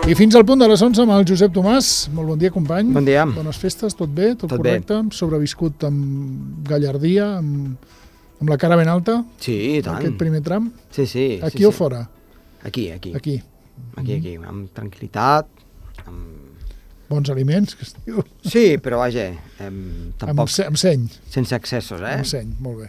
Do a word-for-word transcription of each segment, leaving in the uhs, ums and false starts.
I fins al punt de les onze amb el Josep Tomàs. Molt bon dia, company. Bon dia. Bones festes, tot bé, tot, Tot correcte. Bé. Sobreviscut amb gallardia, amb, amb la cara ben alta. Sí, i tant. Aquest primer tram. Sí, sí. Aquí sí, o sí. fora? Aquí, aquí. Aquí. Aquí, aquí, amb tranquil·litat. Amb... Bons aliments, que es diu. Sí, però vaja, em, tampoc... Amb, se, amb seny. Sense excessos, eh? Amb seny, molt bé.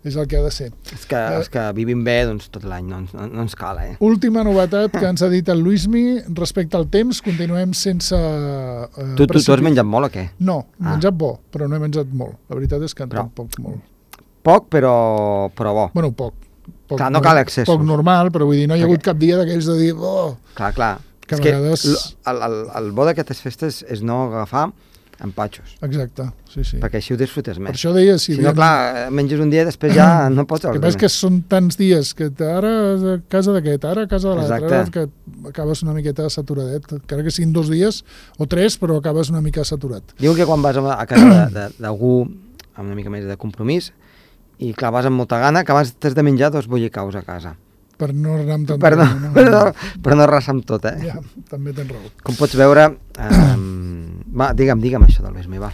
És el que ha de ser. És que, Eh, és que vivim bé doncs, tot l'any, no, ens- no, no ens cal, eh? Última novetat que ens ha dit el Luismi respecte al temps, continuem sense... Eh, Tu, tu, tu has precipi- menjat molt o què? No, he Ah. menjat bo, però no he menjat molt. La veritat és que Però- tampoc molt. Poc, però, però bo. Bueno, poc. poc Clar, no nor- cal excessos. Poc normal, però vull dir, no hi ha hagut Perquè- cap dia d'aquells de dir... Oh, Clar, clar. Que és a que vegades- l- el, el, el bo d'aquestes festes és no agafar empatxos, exacte, sí, sí. perquè així ho disfrutes Per més. això deia... Si, Si no, clar, menges un dia i després ja no pots... El que passa és que són tants dies que ara a casa d'aquest, ara a casa de l'altre, ara Exacte. que acabes una miqueta saturadet, encara que siguin dos dies o tres, però acabes una mica saturat. Diuen que quan vas a a casa de- de- d'algú amb una mica més de compromís i clar, vas amb molta gana, que abans t'has de menjar dos bollicaus a casa. Per no anar amb tant... Per no, per no, per no arrasar amb tot, eh? Ja, també tens raó. Com pots veure... Eh, va, digue'm, digue'm això del Luismi, va.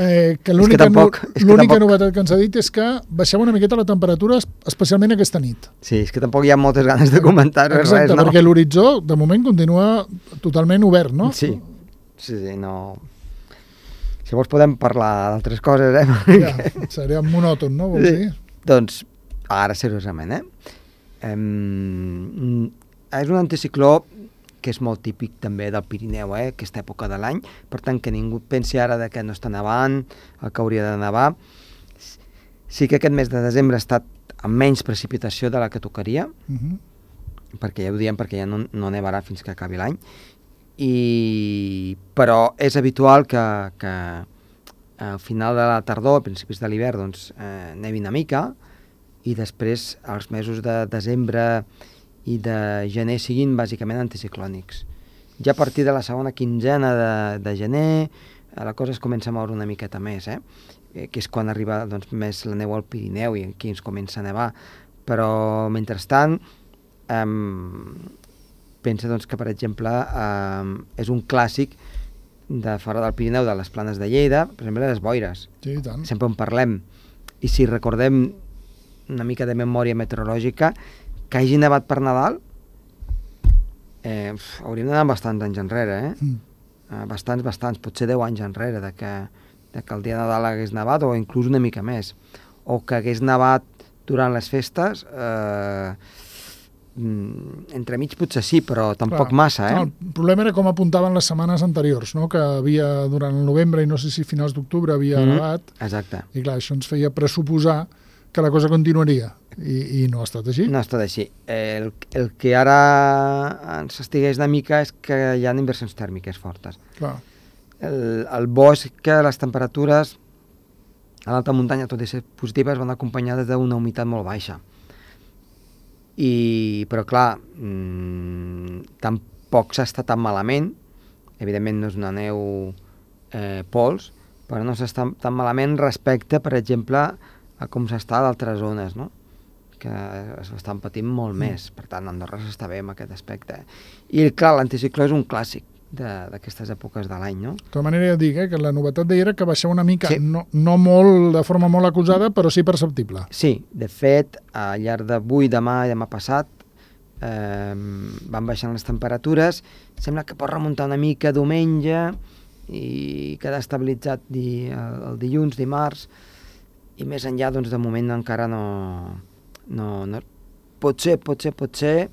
Eh, que És l'única que tampoc- no, és que l'única tampoc- novetat que ens ha dit és que baixava una miqueta la temperatura, especialment aquesta nit. Sí, és que tampoc hi ha moltes ganes de comentar-ho, Exacte, res, no? perquè l'horitzó, de moment, continua totalment obert, no? Sí, sí, sí, no... Si vols podem parlar d'altres coses, eh? Ja, seria monòton, no? Vols Sí. dir? Doncs, ara seriosament, eh? Em, és un anticicló que és molt típic també del Pirineu, eh? Aquesta època de l'any, per tant que ningú pensi ara de que no està nevant, el que hauria de nevar. Sí que aquest mes de desembre ha estat amb menys precipitació de la que tocaria, Uh -huh. perquè ja ho diem, perquè ja no, no nevarà fins que acabi l'any, i però és habitual que, que al final de la tardor, a principis de l'hivern, doncs, eh, nevi una mica, i després els mesos de desembre i de gener siguin bàsicament anticiclònics. Ja a partir de la segona quinzena de, de gener eh, la cosa es comença a moure una miqueta més, eh? Eh, que és quan arriba doncs, més la neu al Pirineu i aquí ens comença a nevar, però mentrestant eh, pensa doncs, que per exemple eh, és un clàssic de fora del Pirineu, de les planes de Lleida, per exemple les boires, Sí, i tant. sempre en parlem, i si recordem una mica de memòria meteorològica, que hagi nevat per Nadal, eh, uf, hauríem d'anar bastants anys enrere, eh? Mm. Eh, bastants, bastants, potser deu anys enrere de que, de que el dia de Nadal hagués nevat, o inclús una mica més, o que hagués nevat durant les festes, eh, mm, entremig potser sí, però tampoc Clar, massa, eh? no, el problema era com apuntaven les setmanes anteriors, no? Que havia, durant el novembre, i no sé si finals d'octubre, havia Mhm. nevat, Exacte. i clar, això ens feia pressuposar que la cosa continuaria, i, i no ha estat així. No ha estat així. El, el que ara ens estigueix una mica és que hi ha inversions tèrmiques fortes. Clar. El, el bo és que les temperatures a l'alta muntanya, tot i ser positives, van acompanyades d'una humitat molt baixa. I, però clar, mmm, tampoc s'està tan malament, evidentment no és una neu eh, pols, però no s'està tan malament respecte, per exemple, a com s'està a d'altres zones, no? Que s'estan patint molt Mm. més, per tant Andorra s'està bé en aquest aspecte. I clar, l'anticicló és un clàssic de- d'aquestes èpoques de l'any, no? De tota manera, ja dic, eh, que la novetat d'ahir era que baixava una mica, Sí. no, no molt, de forma molt acusada, però sí perceptible. Sí, de fet, al llarg d'avui, demà i demà passat eh, van baixant les temperatures, sembla que pot remuntar una mica diumenge i quedar estabilitzat di, el, el dilluns, dimarts, i més enllà, doncs, de moment encara no... no, no potser, potser, potser,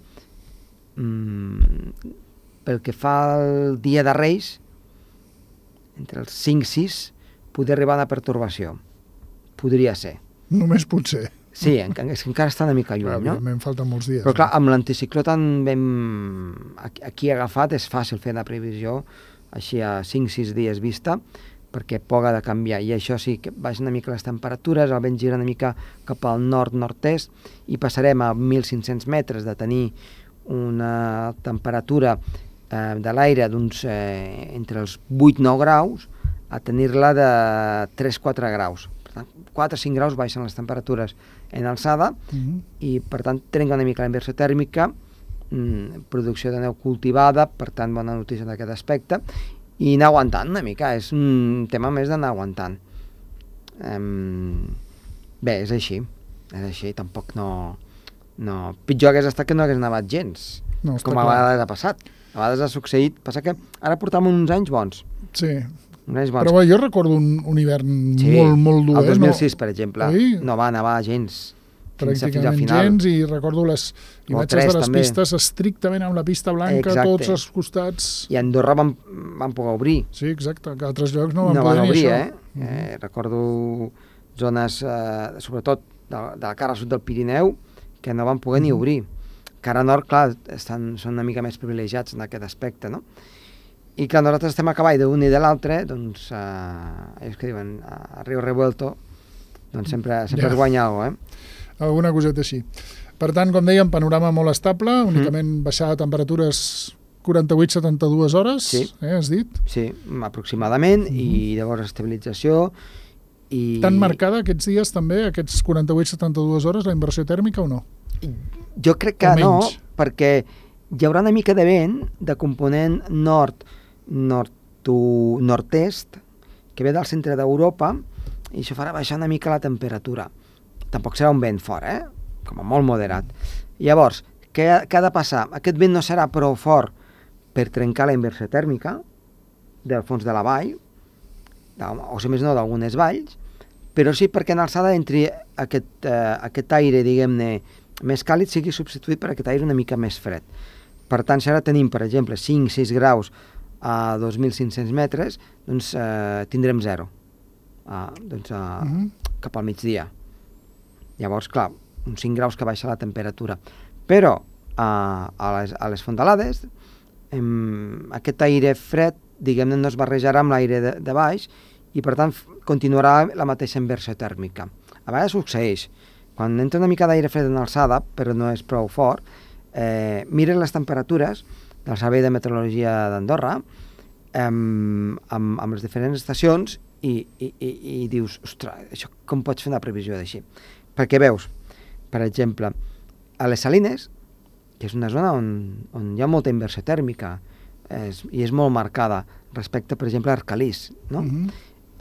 mm, pel que fa al dia de Reis, entre els cinc i sis, podria arribar una pertorbació. Podria ser. Només potser. Sí, encara, és que encara està una mica Clar, lluny, no? evidentment, falten molts dies. Però clar, amb l'anticicló tan ben aquí, aquí agafat és fàcil fer la previsió així a cinc sis dies vista, perquè poc ha de canviar, i això sí, que baixen una mica les temperatures, el vent gira una mica cap al nord-nord-est, i passarem a mil cinc-cents metres de tenir una temperatura eh, de l'aire d'uns eh, entre els vuit nou graus a tenir-la de tres quatre graus. Per tant, quatre cinc graus baixen les temperatures en alçada, Uh -huh. i per tant trenca una mica la inversió tèrmica mm, producció de neu cultivada, per tant, bona notícia d'aquest aspecte, i anar aguantant una mica, és un tema més d'anar aguantant. Um, bé, és així, és així, tampoc no... no. Pitjor hagués estat que no hagués nevat gens, no, com a vegades ha passat. A vegades ha succeït, passa que ara portam uns anys bons. Sí, uns anys bons. però bé, jo recordo un, un hivern sí, molt, molt dur. El dos mil sis, no? per exemple, Oi? no va nevar gens. Pràcticament gens, i recordo les imatges de les també. Pistes estrictament amb la pista blanca, exacte. Tots els costats... I a Andorra van, van poder obrir. Sí, exacte, que a altres llocs no van no poder van obrir, ni eh? això. Mm -hmm. eh? Recordo zones, eh, sobretot de, de la cara sud del Pirineu, que no van poder mm -hmm. ni obrir. Cara nord, clar, estan, són una mica més privilegiats en aquest aspecte, no? I que nosaltres estem a cavall d'un i de l'altre, doncs, eh, ells que diuen, a Río Revuelto, doncs sempre, sempre ja. es guanya alguna cosa, eh? Alguna coseta així. Per tant, com dèiem, panorama molt estable, únicament mm. baixar de temperatures quaranta-vuit a setanta-dues hores, sí. eh, has dit? Sí, aproximadament, mm. i llavors estabilització. I... Tan marcada aquests dies també, aquests quaranta-vuit a setanta-dues hores, la inversió tèrmica o no? Jo crec que no, perquè hi haurà una mica de vent de component nord, nord nord-est, que ve del centre d'Europa, i això farà baixar una mica la temperatura. Tampoc serà un vent fort, eh? Com a molt moderat. Llavors, què, què ha de passar? Aquest vent no serà prou fort per trencar la inversió tèrmica del fons de la vall, o si més no d'algunes valls, però sí perquè en alçada entri aquest, eh, aquest aire, diguem-ne, més càlid sigui substituït per aquest aire una mica més fred. Per tant, si ara tenim, per exemple, cinc sis graus a dos mil cinc-cents metres, doncs eh, tindrem zero. Ah, doncs, uh, uh-huh. cap al migdia. Llavors, clar, uns cinc graus que baixa la temperatura. Però uh, a, les, a les fondalades em, aquest aire fred, diguem-ne, no es barrejarà amb l'aire de, de baix i, per tant, continuarà la mateixa inversió tèrmica. A vegades succeeix. Quan entra una mica d'aire fred en alçada, però no és prou fort, eh, mires les temperatures del Servei de Meteorologia d'Andorra eh, amb, amb les diferents estacions i, i, i, i dius, ostres, això com pots fer una previsió d'així? Perquè veus, per exemple, a les Salines, que és una zona on, on hi ha molta inversió tèrmica és, i és molt marcada respecte, per exemple, a Arcalís, no? Uh-huh.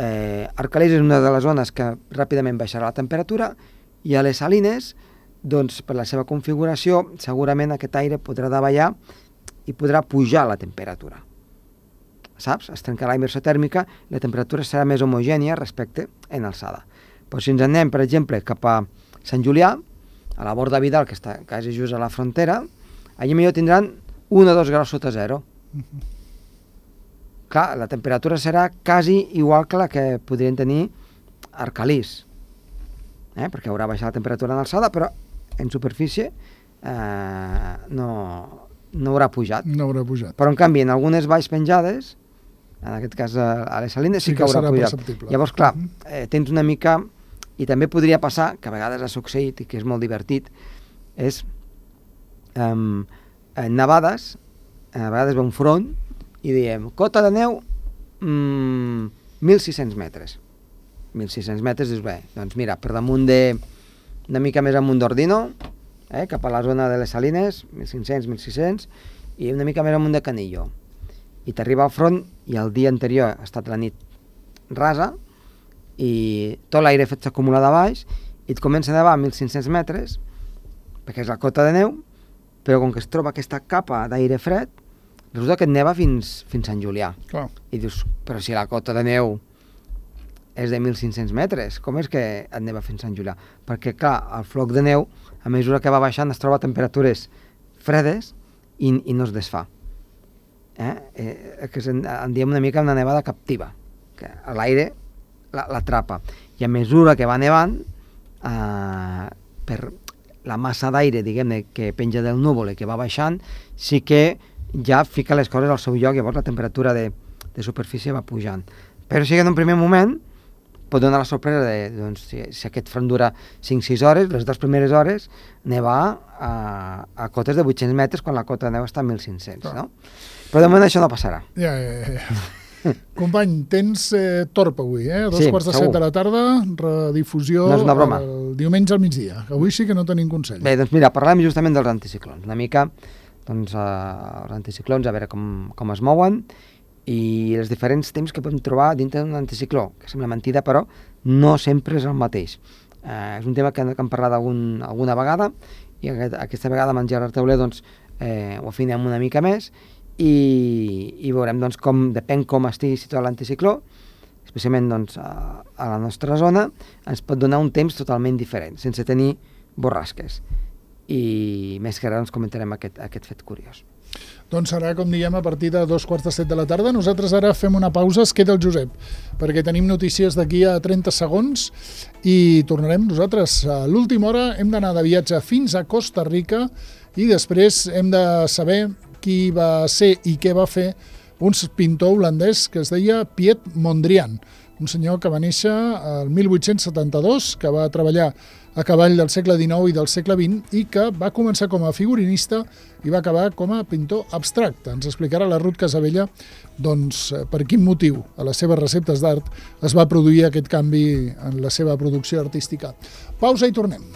eh, Arcalís és una de les zones que ràpidament baixarà la temperatura i a les Salines, doncs, per la seva configuració, segurament aquest aire podrà davallar i podrà pujar la temperatura. Saps? Es trencarà la inversió tèrmica i la temperatura serà més homogènia respecte en alçada. Però si ens anem, per exemple, cap a Sant Julià, a la Borda Vidal, que està quasi just a la frontera, allà millor tindran un o dos graus sota zero. Uh-huh. Clar, la temperatura serà quasi igual que la que podrien tenir a Arcalís, eh? Perquè haurà baixat la temperatura en alçada, però en superfície eh, no, no haurà pujat. No haurà pujat. Però, en canvi, en algunes valls penjades, en aquest cas a les Salines, sí, sí que, que haurà pujat. Perceptible. Llavors, clar, eh, tens una mica... I també podria passar, que a vegades ha succeït i que és molt divertit, és um, en nevades, a vegades va un front i diem, cota de neu mmm, mil sis-cents metres. mil sis-cents metres, dius, bé, doncs mira, per damunt de, una mica més amunt d'Ordino, eh, cap a la zona de les Salines, mil cinc-cents, mil sis-cents, i una mica més amunt de Canillo. I t'arriba al front i el dia anterior ha estat la nit rasa, i tot l'aire fet s'acumula de baix i et comença a nevar a mil cinc-cents metres perquè és la cota de neu, però com que es troba aquesta capa d'aire fred resulta que et neva fins, fins Sant Julià. Clar. I dius, però si la cota de neu és de mil cinc-cents metres, com és que et neva fins Sant Julià? Perquè clar, el floc de neu a mesura que va baixant es troba a temperatures fredes i, i no es desfà. Eh? Eh, que en, en diem una mica una nevada captiva, que l'aire l'atrapa, i a mesura que va nevant eh, per la massa d'aire, diguem-ne, que penja del núvol i que va baixant, sí que ja fica les coses al seu lloc, llavors la temperatura de, de superfície va pujant. Però sí que en un primer moment pot donar la sorpresa de, doncs, si, si aquest front dura cinc-sis hores, les dues primeres hores nevar a, a cotes de vuit-cents metres quan la cota de neu està a mil cinc-cents, no? Però de moment això no passarà. Ja, ja, ja. Company, tens eh, torp avui, eh? A dos sí, quarts de segur. set de la tarda, redifusió no és una broma. El diumenge al migdia. Avui sí que no tenim consell. Bé, doncs mira, parlem justament dels anticiclons. Una mica doncs, eh, els anticiclons, a veure com, com es mouen, i els diferents temps que podem trobar dintre d'un anticicló, que sembla mentida, però no sempre és el mateix. Eh, és un tema que, que hem parlat algun, alguna vegada, i aquest, aquesta vegada amb en Gerard Tauler doncs, eh, ho afinem una mica més, i, i veurem doncs, com, depèn com estigui situat l'anticicló, especialment doncs, a, a la nostra zona, ens pot donar un temps totalment diferent, sense tenir borrasques. I més que ara doncs, comentarem aquest, aquest fet curiós. Doncs serà, com diem, a partir de dos quarts de set de la tarda. Nosaltres ara fem una pausa, es queda el Josep, perquè tenim notícies d'aquí a trenta segons i tornarem nosaltres. A l'última hora hem d'anar de viatge fins a Costa Rica i després hem de saber qui va ser i què va fer un pintor holandès que es deia Piet Mondrian, un senyor que va néixer el mil vuit-cents setanta-dos, que va treballar a cavall del segle dinou i del segle vint i que va començar com a figurinista i va acabar com a pintor abstracte. Ens explicarà la Ruth Casabella doncs, per quin motiu a les seves receptes d'art es va produir aquest canvi en la seva producció artística. Pausa i tornem.